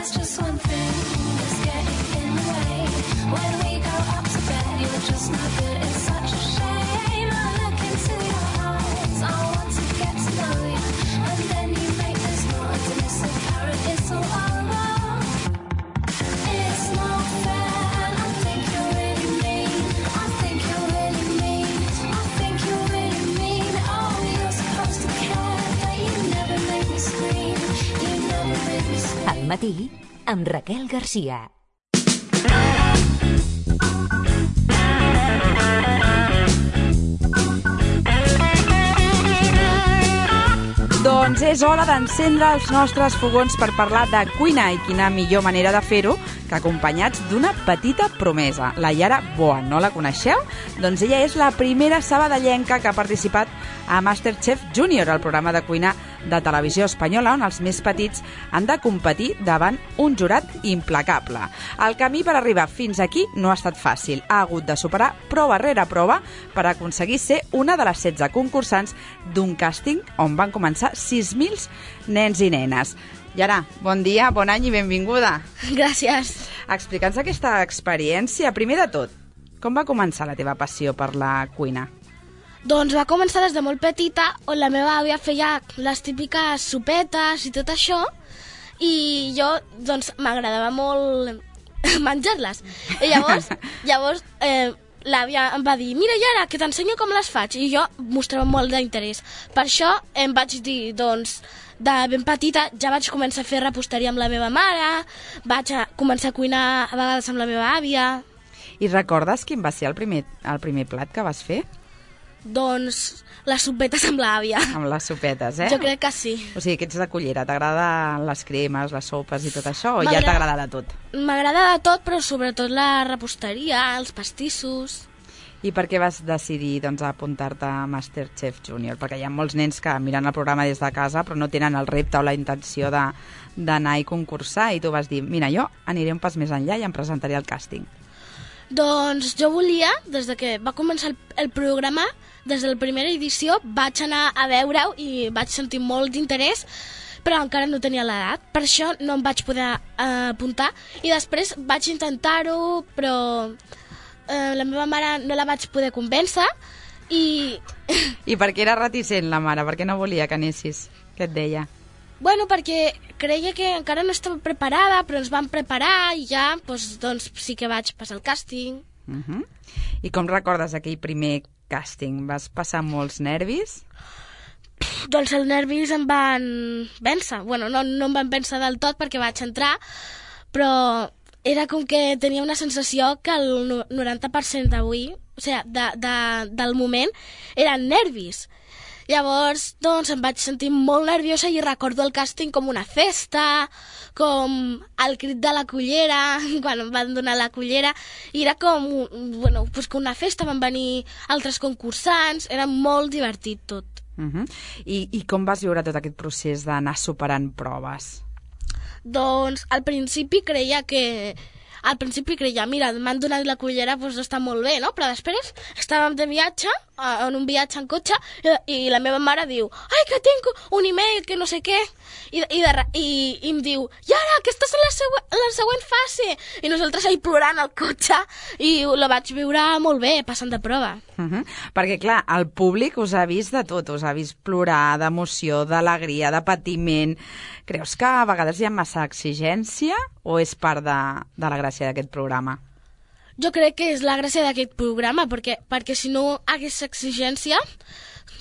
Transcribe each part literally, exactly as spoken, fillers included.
there's just one thing that's getting in the way. When we go up to bed, you're just not good. It's such a shame. I look into your eyes. I want to get to know you, and then you make this noise, and it's apparent it's all over. It's not fair, and I think you're really mean. I think you're really mean. I think you're really mean. Oh, you're supposed to care, but you never make me scream. You never make me scream. Al matí, amb Raquel Garcia. Doncs és hora d'encendre els nostres fogons per parlar de cuina, i quina millor manera de fer-ho que acompanyats d'una petita promesa, la Yara Boan. No la coneixeu? Doncs ella és la primera sabadellenca que ha participat a MasterChef Junior, el programa de cuina de televisió espanyola on els més petits han de competir davant un jurat implacable. El camí per arribar fins aquí no ha estat fàcil. Ha hagut de superar prova rere prova per aconseguir ser una de les setze concursants d'un càsting on van començar sis mil nens i nenes. Yara, bon dia, bon any i benvinguda. Gràcies. Explica'ns aquesta experiència. Primer de tot, com va començar la teva passió per la cuina? Doncs va començar des de molt petita, on la meva àvia feia les típiques sopetes i tot això, i jo, doncs, m'agradava molt menjar-les. I llavors, llavors eh, l'àvia em va dir, mira, Yara, que t'ensenyo com les faig, i jo mostrava molt d'interès. Per això em vaig dir, doncs, de ben petita ja vaig començar a fer reposteria amb la meva mare, vaig a començar a cuinar a vegades amb la meva àvia. I recordes quin va ser el primer, el primer plat que vas fer? Doncs les sopetes amb l'àvia. Amb les sopetes, eh? Jo crec que sí. O sigui, que ets de cullera. T'agraden les cremes, les sopes i tot això, o ja t'agrada de tot? M'agrada de tot, però sobretot la reposteria, els pastissos. I per què vas decidir, doncs, apuntar-te a MasterChef Junior? Perquè hi ha molts nens que miren el programa des de casa però no tenen el repte o la intenció de, d'anar i concursar, i tu vas dir, mira, jo aniré un pas més enllà i em presentaré al càsting. Doncs jo volia, des de que va començar el, el programa, des de la primera edició, vaig anar a veure-ho i vaig sentir molt d'interès, però encara no tenia l'edat. Per això no em vaig poder eh, apuntar, i després vaig intentar-ho, però eh, la meva mare no la vaig poder convèncer, i... I per què era reticent la mare? Per què no volia que anessis? Què et deia? Bueno, perquè creia que encara no estava preparada, però ens vam preparar i ja, doncs, doncs sí que vaig passar el càsting. Uh-huh. I com recordes aquell primer càsting? Vas passar molts nervis? Doncs els nervis em van vèncer. Bueno, no, no em van vèncer del tot perquè vaig entrar, però era com que tenia una sensació que el noranta per cent d'avui, o sigui, de, de, del moment, eren nervis. Llavors, doncs, em vaig sentir molt nerviosa i recordo el càsting com una festa, com el crit de la cullera, quan em van donar la cullera, i era com, bueno, pues com una festa, van venir altres concursants, era molt divertit tot. Uh-huh. I, I com vas viure tot aquest procés d'anar superant proves? Doncs, al principi creia que... Al principi creia, mira, m'han donat la cullera, doncs està molt bé, no? Però després estàvem de viatge, en un viatge en cotxe, i la meva mare diu, ai, que tinc un email, que no sé què, i, i, de, i, i em diu, Yara, que estàs en la, següent, en la següent fase, i nosaltres ahí plorant al cotxe, i la vaig viure molt bé, passant de prova. Uh-huh. Perquè, clar, el públic us ha vist de tot, us ha vist plorar, d'emoció, d'alegria, de patiment. Creus que a vegades hi ha massa exigència o és part de, de la gràcia d'aquest programa? Jo crec que és la gràcia d'aquest programa, perquè, perquè si no hagués exigència,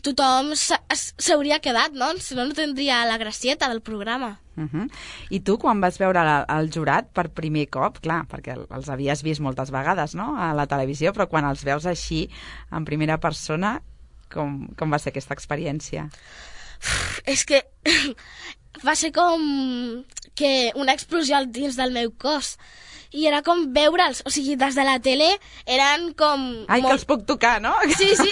tothom s'hauria quedat, no? Si no, no tindria la gracieta del programa. Uh-huh. I tu, quan vas veure el, el jurat per primer cop, clar, perquè els havies vist moltes vegades, no?, a la televisió, però quan els veus així, en primera persona, com, com va ser aquesta experiència? Uf, és que va ser com que una explosió dins del meu cos. I era com veure'ls, o sigui, des de la tele eren com... Ai, molt... que els puc tocar, no? Sí, sí.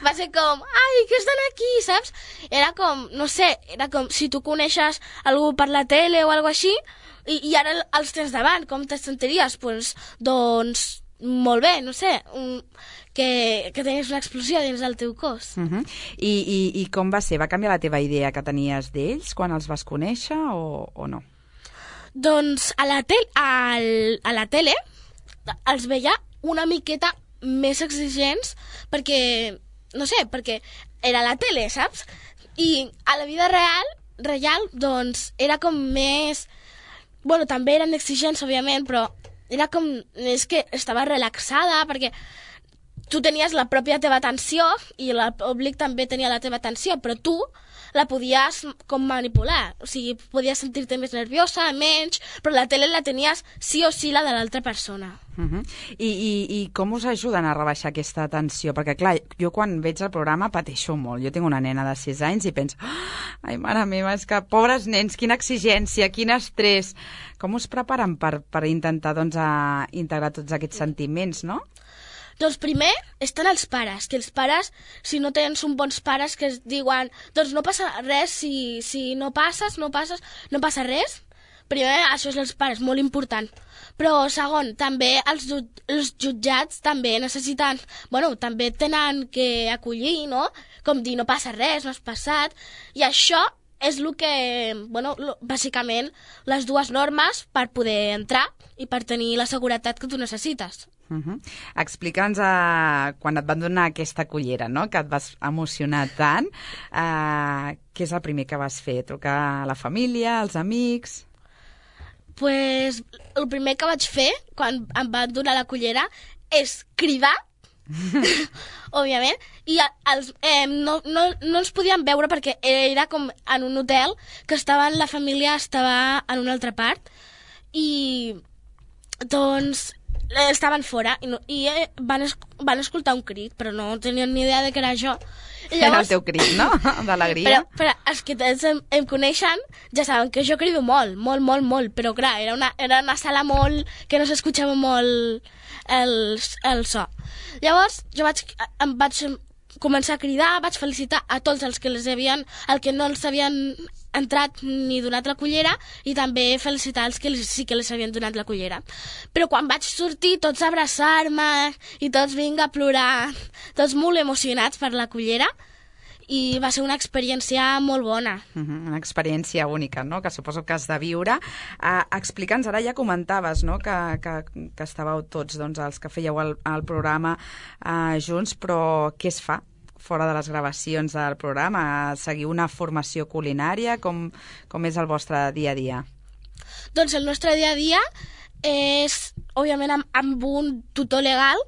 Va ser com, ai, que estan aquí, saps? Era com, no sé, era com si tu coneixes algú per la tele o alguna així, i, i ara els tens davant, com te sentiries? Pues, doncs, molt bé, no sé, un, que, que tenies una explosió dins del teu cos. Uh-huh. I, i, I com va ser? Va canviar la teva idea que tenies d'ells quan els vas conèixer o, o no? Doncs a la, tel al, a la tele els veia una miqueta més exigents perquè, no sé, perquè era la tele, saps? I a la vida real, real, doncs era com més... Bueno, també eren exigents, òbviament, però era com... És que estava relaxada perquè tu tenies la pròpia teva atenció i el públic també tenia la teva atenció, però tu la podies com manipular. O sigui, podies sentir-te més nerviosa, menys, però la tele la tenies sí o sí la de l'altra persona. Uh -huh. I, i, I com us ajuden a rebaixar aquesta tensió? Perquè, clar, jo quan veig el programa pateixo molt. Jo tinc una nena de sis anys i penso, ai, mare meva, és que pobres nens, quina exigència, quin estrès. Com us preparen per, per intentar doncs, a integrar tots aquests sentiments, no? Doncs primer estan els pares, que els pares, si no tens uns bons pares que es diuen doncs no passa res, si, si no passes, no passes, no passa res. Primer, això és els pares, molt important. Però segon, també els, els jutjats també necessiten, bueno, també tenen que acollir, no? Com dir, no passa res, no has passat. I això és el que, bueno, lo, bàsicament, les dues normes per poder entrar i per tenir la seguretat que tu necessites. Uh -huh. Explica'ns uh, quan et van donar aquesta cullera, no?, que et vas emocionar tant, uh, què és el primer que vas fer? Trucar a la família, als amics? Pues el primer que vaig fer quan em van donar la cullera és cridar, òbviament, i els, eh, no, no, no ens podíem veure perquè era com en un hotel que estava, la família estava en una altra part i doncs estaven fora i, no, i eh, van, es, van escoltar un crit, però no tenien ni idea de que era jo. I llavors, era el teu crit, no?, d'alegria. Però, però els que em, em coneixen ja saben que jo crido molt, molt, molt, molt, però clar, era una, era una sala molt que no s'escoltava molt el, el so. Llavors jo vaig, em vaig començar a cridar, vaig felicitar a tots els que les havien, el que no els havien entrat ni donat la cullera i també felicitar els que sí que les havien donat la cullera. Però quan vaig sortir tots a abraçar-me i tots vinga a plorar, tots molt emocionats per la cullera i va ser una experiència molt bona. Uh -huh, una experiència única, no?, que suposo que has de viure. Uh, Explica'ns, ara ja comentaves, no?, que, que, que estàveu tots, doncs, els que fèieu el, el programa uh, junts, però què es fa fora de les gravacions del programa? Seguiu una formació culinària? Com, com és el vostre dia a dia? Doncs el nostre dia a dia és, òbviament, amb, amb un tutor legal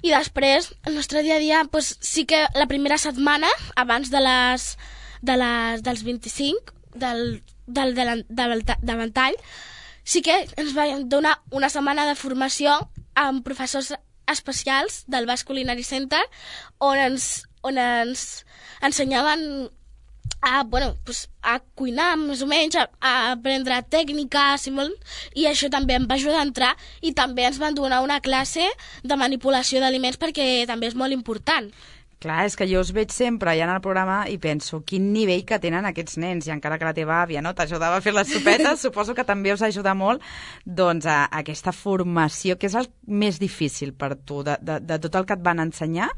i després el nostre dia a dia pues, sí que la primera setmana, abans de les, de les, dels vint-i-cinc del, del, del, del, del ventall, sí que ens van donar una setmana de formació amb professors especials del Basc Culinary Center on ens, on ens ensenyaven a, bueno, pues, a cuinar més o menys, a, a aprendre tècniques i, molt, i això també em va ajudar a entrar i també ens van donar una classe de manipulació d'aliments perquè també és molt important. Clar, és que jo us veig sempre allà en el programa i penso quin nivell que tenen aquests nens, i encara que la teva àvia, no, t'ajudava a fer les sopetes, suposo que també us ajuda molt doncs, a, a aquesta formació, que és el més difícil per tu, de, de, de tot el que et van ensenyar,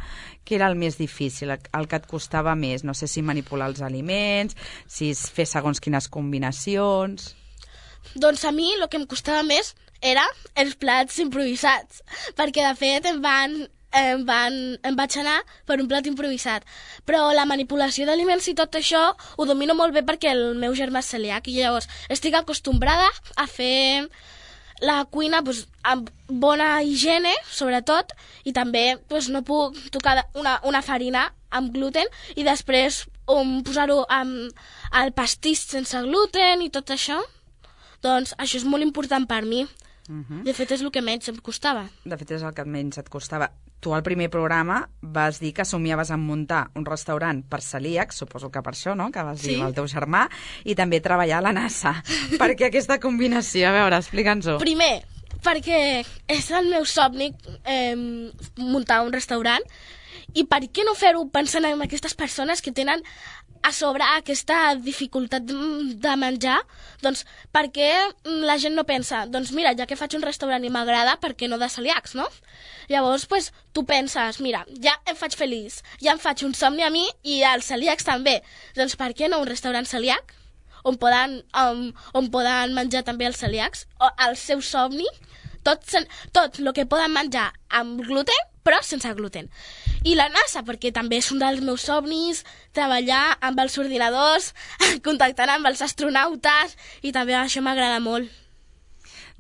que era el més difícil, el, el que et costava més, no sé si manipular els aliments, si fer segons quines combinacions... Doncs a mi el que em costava més era els plats improvisats, perquè de fet em van... Em, van, em vaig anar per un plat improvisat, però la manipulació d'aliments i tot això ho domino molt bé perquè el meu germà és celíac i llavors estic acostumbrada a fer la cuina pues, amb bona higiene, sobretot, i també pues, no puc tocar una, una farina amb gluten i després um, posar-ho amb el pastís sense gluten i tot això. Doncs això és molt important per mi. Uh -huh. De fet, és el que menys em costava. De fet, és el que menys et costava. Tu al primer programa vas dir que somiaves en muntar un restaurant per celíacs, suposo que per això, no?, que vas dir sí. Amb el teu germà, i també treballar a la NASA. Per què aquesta combinació? A veure, explica'ns-ho. Primer, perquè és el meu somni eh, muntar un restaurant, i per què no fer-ho pensant en aquestes persones que tenen a sobre aquesta dificultat de menjar? Doncs perquè la gent no pensa, doncs mira, ja que faig un restaurant i m'agrada, per què no de celíacs, no? Llavors, pues, tu penses, mira, ja em faig feliç, ja em faig un somni a mi i als celíacs també. Doncs per què no un restaurant celíac? on poden, um, on poden menjar també els celíacs, o el seu somni, tot, tot el que poden menjar amb gluten, però sense gluten. I la NASA, perquè també és un dels meus somnis, treballar amb els ordinadors, contactant amb els astronautes, i també això m'agrada molt.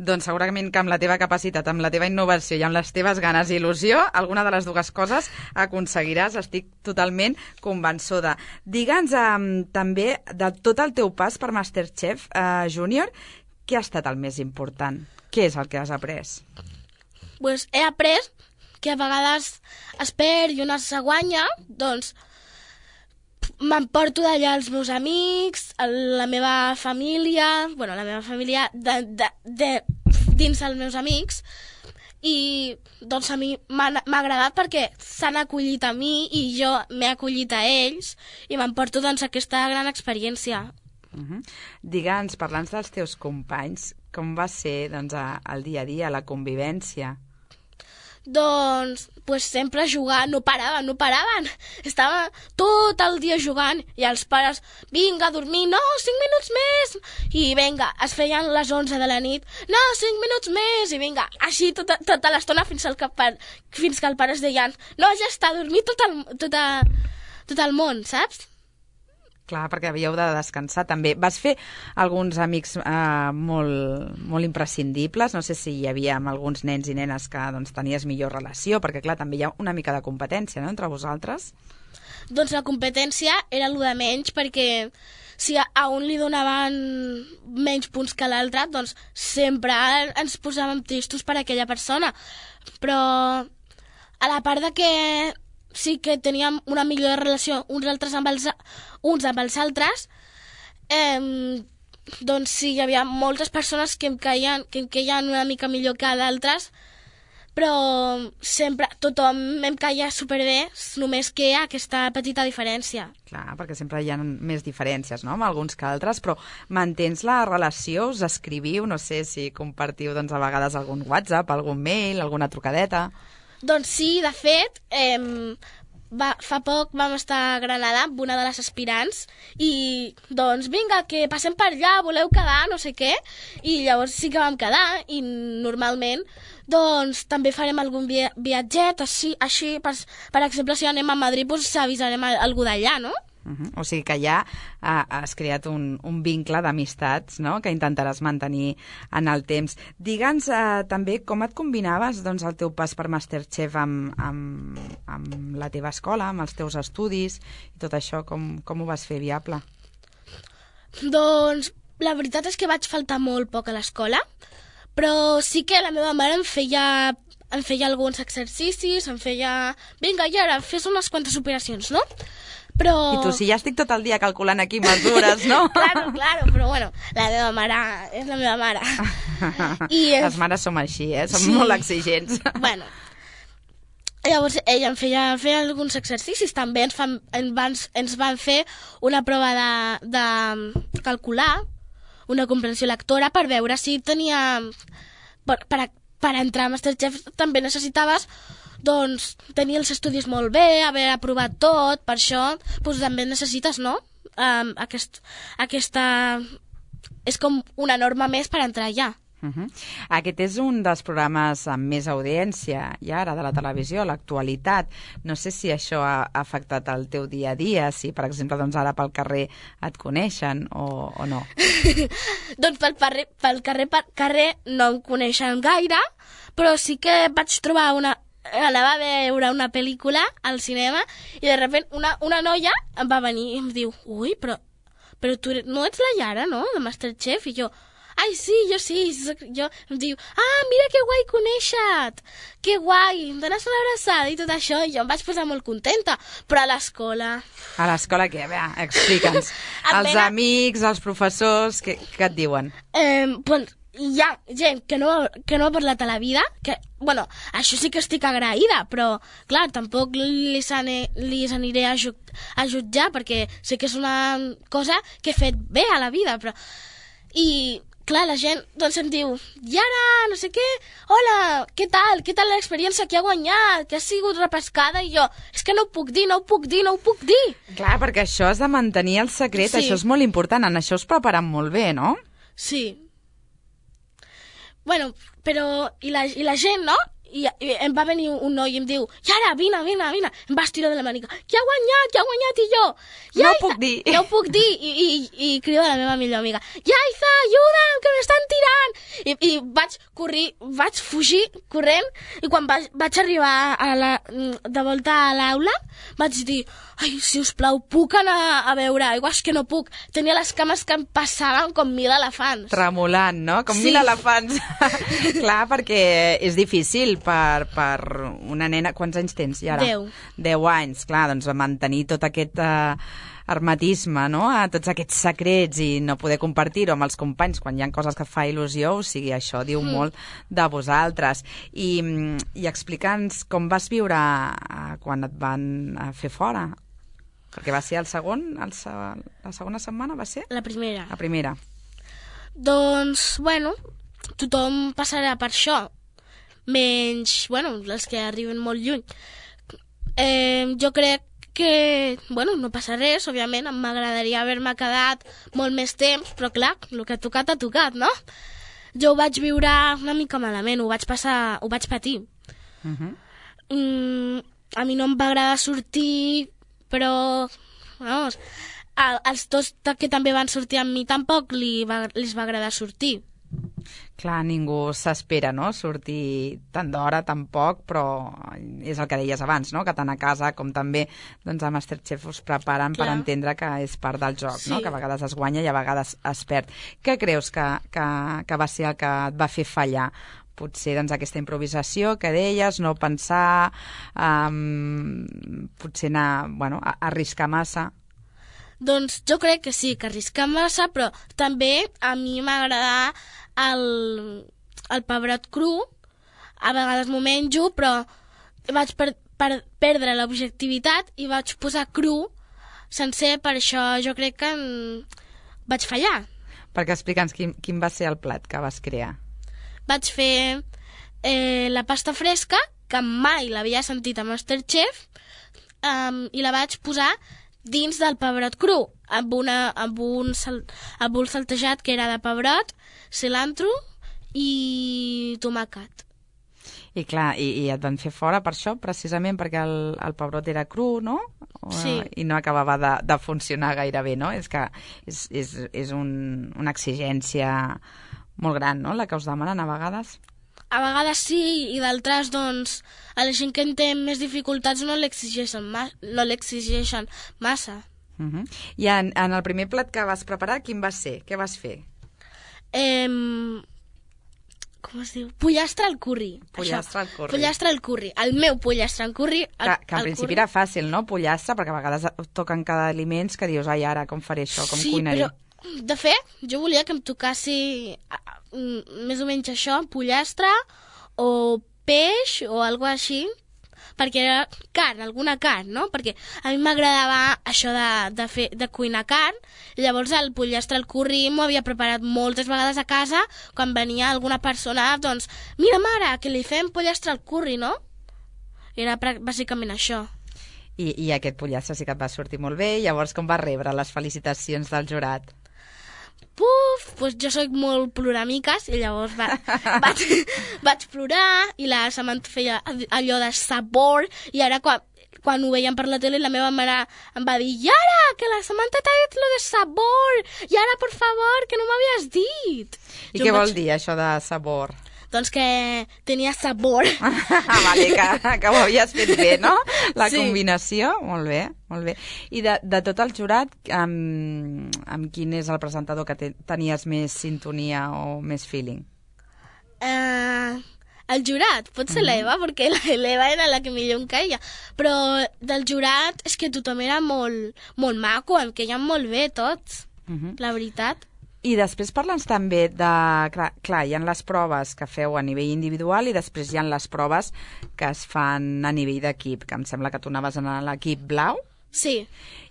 Doncs segurament que amb la teva capacitat, amb la teva innovació i amb les teves ganes i il·lusió, alguna de les dues coses aconseguiràs, estic totalment convençuda. Digue'ns um, també, de tot el teu pas per MasterChef uh, Júnior, què ha estat el més important? Què és el que has après? Pues he après que a vegades es perd i una se guanya, doncs m'emporto d'allà els meus amics, la meva família, bueno, la meva família de, de, de, dins els meus amics, i doncs a mi m'ha agradat perquè s'han acollit a mi i jo m'he acollit a ells i m'emporto doncs aquesta gran experiència. Uh-huh. Digue'ns, parlant dels teus companys, com va ser doncs, el dia a dia, la convivència? Doncs, pues sempre jugant, no paraven, no paraven. Estava tot el dia jugant i els pares, vinga, a dormir, no, cinc minuts més. I vinga, es feien les onze de la nit, no, cinc minuts més. I vinga, així tota, tota l'estona fins, al que, fins que el pare es deien, no, ja està, a dormir tot el, tot, a, tot el món, saps? Clar, perquè havíeu de descansar també. Vas fer alguns amics eh, molt, molt imprescindibles? No sé si hi havia amb alguns nens i nenes que doncs, tenies millor relació, perquè clar, també hi ha una mica de competència, no?, entre vosaltres. Doncs la competència era el de menys, perquè si a un li donaven menys punts que a l'altre, doncs sempre ens posàvem tristos per aquella persona. Però a la part de que sí que teníem una millor relació uns altres amb els, uns amb els altres, eh, doncs sí, hi havia moltes persones que em caien, que em caien una mica millor que d'altres, però sempre tothom em caia superbé, només que hi ha aquesta petita diferència. Clar, perquè sempre hi ha més diferències, no?, amb alguns que altres, però mantens la relació, us escriviu, no sé si compartiu doncs, a vegades algun WhatsApp, algun mail, alguna trucadeta... Doncs sí, de fet, eh, va, fa poc vam estar a Granada amb una de les aspirants i doncs vinga, que passem per allà, voleu quedar, no sé què, i llavors sí que vam quedar i normalment doncs també farem algun via viatget, així, així per, per exemple, si anem a Madrid doncs avisarem a algú d'allà, no? Uh-huh. O sigui que ja uh, has creat un, un vincle d'amistats, no?, que intentaràs mantenir en el temps. Digue'ns uh, també com et combinaves doncs, el teu pas per MasterChef amb, amb, amb la teva escola, amb els teus estudis i tot això, com, com ho vas fer viable? Doncs la veritat és que vaig faltar molt poc a l'escola, però sí que la meva mare em feia, em feia alguns exercicis, em feia... Vinga, i ara, fes unes quantes operacions, no? Però... I tu, si ja estic tot el dia calculant aquí mesures, no? Claro, claro, però bueno, la meva mare és la meva mare. I les mares som així, eh? Som sí. molt exigents. Bueno, llavors ella em feia, feia alguns exercicis, també ens, fan, ens, van, ens van fer una prova de, de calcular, una comprensió lectora, per veure si tenia... Per, per, per entrar a MasterChef també necessitaves doncs tenir els estudis molt bé, haver aprovat tot, per això doncs, també necessites, no? Um, aquest, aquesta... És com una norma més per entrar allà. Uh-huh. Aquest és un dels programes amb més audiència i ara de la televisió, l'actualitat. No sé si això ha afectat el teu dia a dia, si per exemple doncs ara pel carrer et coneixen o, o no. Doncs pel, carrer, pel carrer, per carrer no em coneixen gaire, però sí que vaig trobar una... anava a veure una pel·lícula al cinema i de sobte una, una noia em va venir i em diu, ui, però, però tu no ets la Yara, no?, de MasterChef? I jo, ai, sí, jo sí. Jo, em diu, ah, mira que guai conèixer-te, que guai, em dones una abraçada i tot això. I jo em vaig posar molt contenta, però a l'escola... A l'escola què? A veure, explica'ns. Els Apenas... amics, els professors, què, què et diuen? Eh, doncs hi ha gent que no, que no ha parlat a la vida, que, bueno, això sí que estic agraïda, però, clar, tampoc li, li aniré a, ju a jutjar, perquè sé que és una cosa que he fet bé a la vida, però... I clar, la gent doncs em diu, Yara, no sé què, hola, què tal, què tal l'experiència que ha guanyat, que ha sigut repescada, i jo, és que no ho puc dir, no ho puc dir, no ho puc dir. Clar, perquè això has de mantenir el secret, Sí. això és molt important, en això us preparen molt bé, no? Sí. Bueno, però, i la, i la gent, no? I, I em va venir un noi i em diu, Yara, vine, vine, vine. Em va estirar de la manica. Qui ha guanyat, qui ha guanyat? I jo, No ho puc dir. No ho puc dir. I, i, i crido a la meva millor amiga, Yaiza, ajuda'm, que m'estan tirant. I, I vaig corrir, vaig fugir corrent, i quan vaig, vaig arribar a la, de volta a l'aula, vaig dir, ai, si us plau, puc anar a beure aigua? És que no puc. Tenia les cames que em passaven com mil elefants. Tremolant, no? Com Sí. mil elefants. Clar, perquè és difícil per, per una nena... Quants anys tens, Yara? Deu. Deu anys, clar, doncs mantenir tot aquest eh, hermetisme, no? A tots aquests secrets i no poder compartir-ho amb els companys quan hi ha coses que fa il·lusió, o sigui, això diu mm. molt de vosaltres. I, i explica'ns com vas viure eh, quan et van eh, fer fora. Perquè va ser el segon, el, se- la segona setmana, va ser? La primera. La primera. Doncs, bueno, tothom passarà per això, menys, bueno, els que arriben molt lluny. Eh, jo crec que, bueno, no passa res, òbviament, m'agradaria haver-me quedat molt més temps, però clar, el que ha tocat ha tocat, no? Jo ho vaig viure una mica malament, ho vaig passar, ho vaig patir. Uh -huh. Mm, a mi no em va agradar sortir, però, vamos, a, als dos que també van sortir amb mi tampoc li va, les va agradar sortir. Clar, ningú s'espera, no?, sortir tant d'hora, tan poc, però és el que deies abans, no?, que tant a casa com també doncs, a Masterchef us preparen Clar. per entendre que és part del joc, Sí. no?, que a vegades es guanya i a vegades es perd. Què creus que, que, que va ser el que et va fer fallar? Potser doncs, aquesta improvisació que deies, no pensar, um, potser anar, bueno, a, a arriscar massa. Doncs jo crec que sí, que arriscar massa, però també a mi m'agrada el, el pebrot cru. A vegades m'ho menjo, però vaig per, per perdre l'objectivitat i vaig posar cru sencer, per això jo crec que en... vaig fallar. Perquè explica'ns quin, quin va ser el plat que vas crear. Vaig fer eh, la pasta fresca, que mai l'havia sentit a Masterchef, um, i la vaig posar dins del pebrot cru, amb, una, amb, un, sal, amb un saltejat que era de pebrot, cilantro i tomàquet. I clar, i, i et van fer fora per això, precisament perquè el, el pebrot era cru, no? O, Sí. I no acabava de, de funcionar gaire bé, no? És que és, és, és un, una exigència molt gran, no?, la que us demanen a vegades. A vegades sí, i d'altres, doncs, a la gent que en té més dificultats no l'exigeixen ma no l'exigeixen massa. Uh -huh. I en, en el primer plat que vas preparar, quin va ser? Què vas fer? Eh, com es diu? Pollastre al curri. Pollastre Això. al curri. Pollastre al curri. El meu pollastre al curri. El, Que, que en el principi curri. era fàcil, no?, pollastre, perquè a vegades toquen cada aliments que dius, ai, ara, com faré això, com sí, cuinaré? però, de fet, jo volia que em tocassi ah, mm, més o menys això, pollastre o peix o alguna així, perquè era carn, alguna carn, no? Perquè a mi m'agradava això de, de, fer, de cuinar carn, i llavors el pollastre al curri m'ho havia preparat moltes vegades a casa, quan venia alguna persona, doncs, mira, mare, que li fem pollastre al curri, no? Era prà- bàsicament això. I, I aquest pollastre sí que et va sortir molt bé, llavors com vas rebre les felicitacions del jurat? Puf, doncs jo soc molt ploramiques i llavors va, vaig, vaig plorar i la Samantha feia allò de sabor i ara quan, quan ho veiem per la tele la meva mare em va dir Yara, que la Samantha t'ha dit lo de sabor, Yara, por favor, que no m'havies dit. I Jo què em vol vaig- dir això de sabor? Doncs que tenia sabor. Ah, vale, que, que ho havies fet bé, no? La Sí. combinació, molt bé, molt bé. I de, de tot el jurat, amb, amb quin és el presentador que te, tenies més sintonia o més feeling? Uh, el jurat, pot ser l'Eva, perquè la- l'Eva era la que millor em caia, però del jurat és que tothom era molt, molt maco, em queien molt bé tots, Uh -huh. la veritat. I després parla'ns també de... Clar, clar, hi ha les proves que feu a nivell individual i després hi ha les proves que es fan a nivell d'equip, que em sembla que tu anaves en l'equip blau. Sí,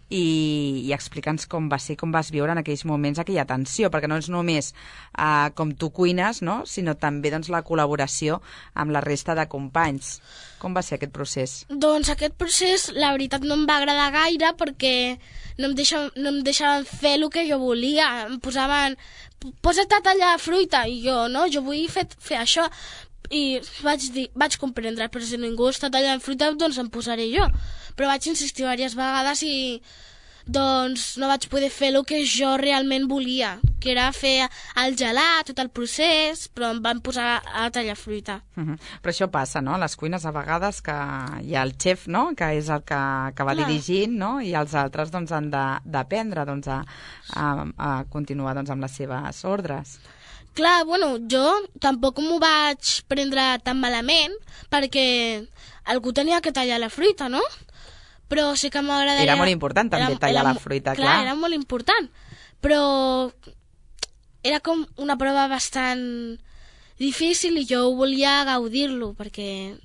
i, i explica'ns com va ser, com vas viure en aquells moments aquella tensió, perquè no és només uh, com tu cuines, no? Sinó també doncs, la col·laboració amb la resta de companys. Com va ser aquest procés? Doncs aquest procés, la veritat, no em va agradar gaire perquè no em deixaven, no em deixaven fer el que jo volia. Em posaven, posa't a tallar fruita, i jo, no, jo vull fer, fer això. I vaig dir, vaig comprendre, però si ningú està tallant fruita, doncs em posaré jo. Però vaig insistir diverses vegades i doncs no vaig poder fer el que jo realment volia, que era fer el gelat, tot el procés, però em van posar a tallar fruita. Uh -huh. Però això passa, no? A les cuines a vegades que hi ha el xef, no?, que és el que, que va Clar. dirigint, no?, i els altres doncs, han d'aprendre doncs, a, a, a continuar doncs, amb les seves ordres. Clar, bueno, jo tampoc m'ho vaig prendre tan malament perquè algú tenia que tallar la fruita, no? Però sí que m'agradaria... Era molt important també era, tallar era, la fruita, clar. Clar, era molt important, però era com una prova bastant difícil i jo volia gaudir-lo, perquè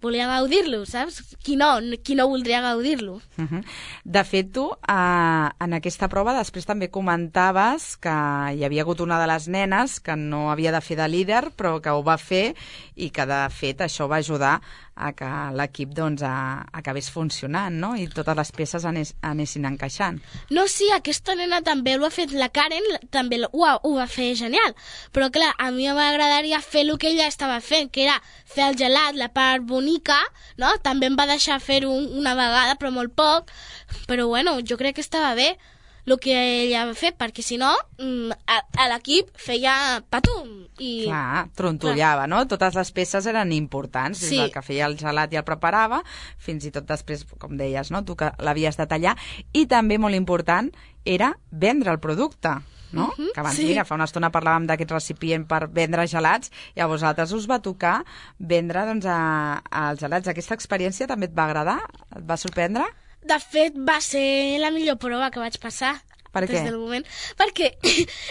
volia gaudir-lo, saps? Qui no, qui no voldria gaudir-lo? Uh -huh. De fet, tu, eh, en aquesta prova després també comentaves que hi havia hagut una de les nenes que no havia de fer de líder, però que ho va fer i que, de fet, això va ajudar a que l'equip doncs, a, acabés funcionant, no?, i totes les peces anes, anessin encaixant. No, sí, aquesta nena també ho ha fet, la Karen també ho, ha, ho va fer genial, però clar, a mi m'agradaria fer el que ella estava fent, que era fer el gelat, la part bonica, no? També em va deixar fer-ho una vegada, però molt poc, però bueno, jo crec que estava bé el que ella va fer, perquè si no, a, a l'equip feia patum. I... Clar, trontollava, no? Totes les peces eren importants, Sí. des del que feia el gelat i el preparava, fins i tot després, com deies, no?, tu que l'havies de tallar, i també molt important era vendre el producte, no? Mhm, Que abans, sí. mira, fa una estona parlàvem d'aquest recipient per vendre gelats i a vosaltres us va tocar vendre doncs, a, a els gelats. Aquesta experiència també et va agradar? Et va sorprendre? De fet, va ser la millor prova que vaig passar. Per des què? del moment. Perquè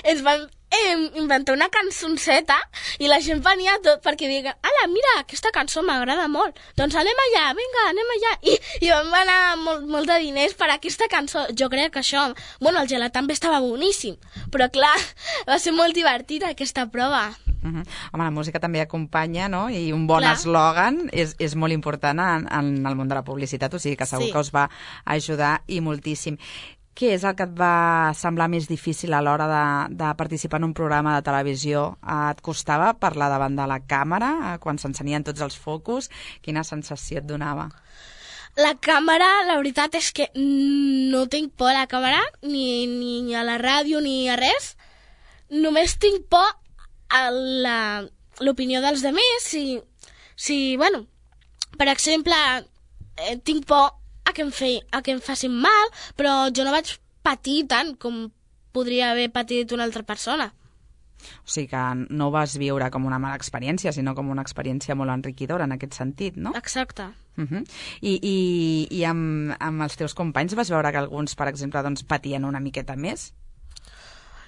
ens van eh, inventar una cançonceta i la gent venia tot perquè diguen, ala, mira, aquesta cançó m'agrada molt. Doncs anem allà, vinga, anem allà. I, i vam anar molt, molt de diners per aquesta cançó. Jo crec que això... Bueno, el gelat també estava boníssim, però clar, va ser molt divertida aquesta prova. Uh -huh. Home, la música també acompanya, no?, i un bon Clar. eslògan és, és molt important en, en el món de la publicitat, o sigui que segur Sí. que us va ajudar i moltíssim. Què és el que et va semblar més difícil a l'hora de, de participar en un programa de televisió? Et costava parlar davant de la càmera, quan s'encenien tots els focus? Quina sensació et donava? La càmera, la veritat és que no tinc por a la càmera, ni, ni a la ràdio, ni a res. Només tinc por a la- l'opinió dels altres. Si, si, bueno, per exemple, eh, tinc por a que, em fe, a que em facin mal, però jo no vaig patir tant com podria haver patit una altra persona. O sigui que no ho vas viure com una mala experiència, sinó com una experiència molt enriquidora en aquest sentit, no? Exacte. Uh -huh. I, i, i amb, amb els teus companys vas veure que alguns, per exemple, doncs, patien una miqueta més?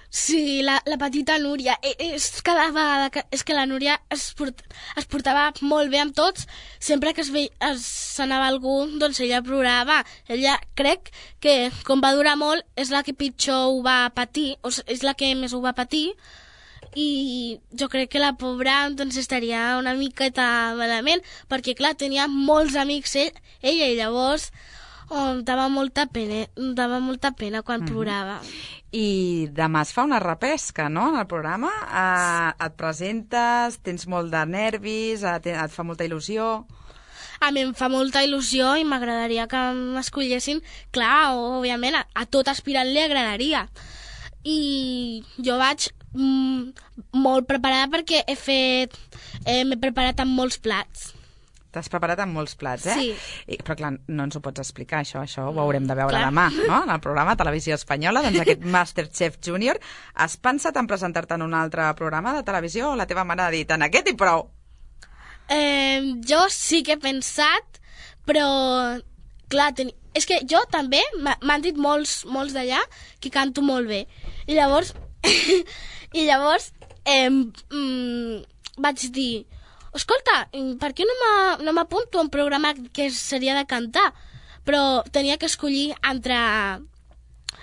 Sí, la, la petita Núria. E- És cada vegada que... És que la Núria es, port, es portava molt bé amb tots. Sempre que es ve, es s'anava algú, doncs ella plorava. Ella, crec que, com va durar molt, és la que pitjor ho va patir, o és la que més ho va patir, i jo crec que la pobra doncs, estaria una miqueta malament, perquè, clar, tenia molts amics ell, ella, i llavors oh, em dava molta pena, em dava molta pena quan mm-hmm. plorava. I demà es fa una repesca, no?, en el programa. Uh, et presentes, tens molt de nervis, uh, te, et fa molta il·lusió. A mi em fa molta il·lusió i m'agradaria que m'escollessin. Clar, òbviament, a, a tot aspirant li agradaria. I jo vaig mm, molt preparada perquè he fet... Eh, m'he preparat amb molts plats. T'has preparat amb molts plats, eh? Sí. I, però clar, no ens ho pots explicar, això. Això ho haurem de veure Clar. demà, no?, en el programa Televisió Espanyola. Doncs aquest Masterchef Junior. Has pensat en presentar-te en un altre programa de televisió o la teva mare ha dit, en aquest i prou? Eh, jo sí que he pensat, però... Clar, ten... és que jo també m'han dit molts, molts d'allà que canto molt bé. I llavors... I llavors... Eh, mm, vaig dir... Escolta, per què no m'apunto a un programa que seria de cantar? però tenia que escollir entre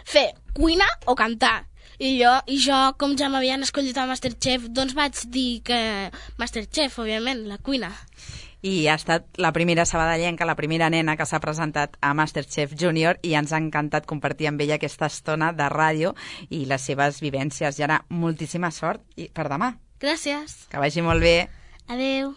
fer cuina o cantar. I jo, i jo com ja m'havien escollit a Masterchef, doncs vaig dir que Masterchef, òbviament, la cuina. I ha estat la primera sabadellenca, la primera nena que s'ha presentat a Masterchef Junior i ens ha encantat compartir amb ella aquesta estona de ràdio i les seves vivències. I ara, moltíssima sort i per demà. Gràcies. Que vagi molt bé. Adeu.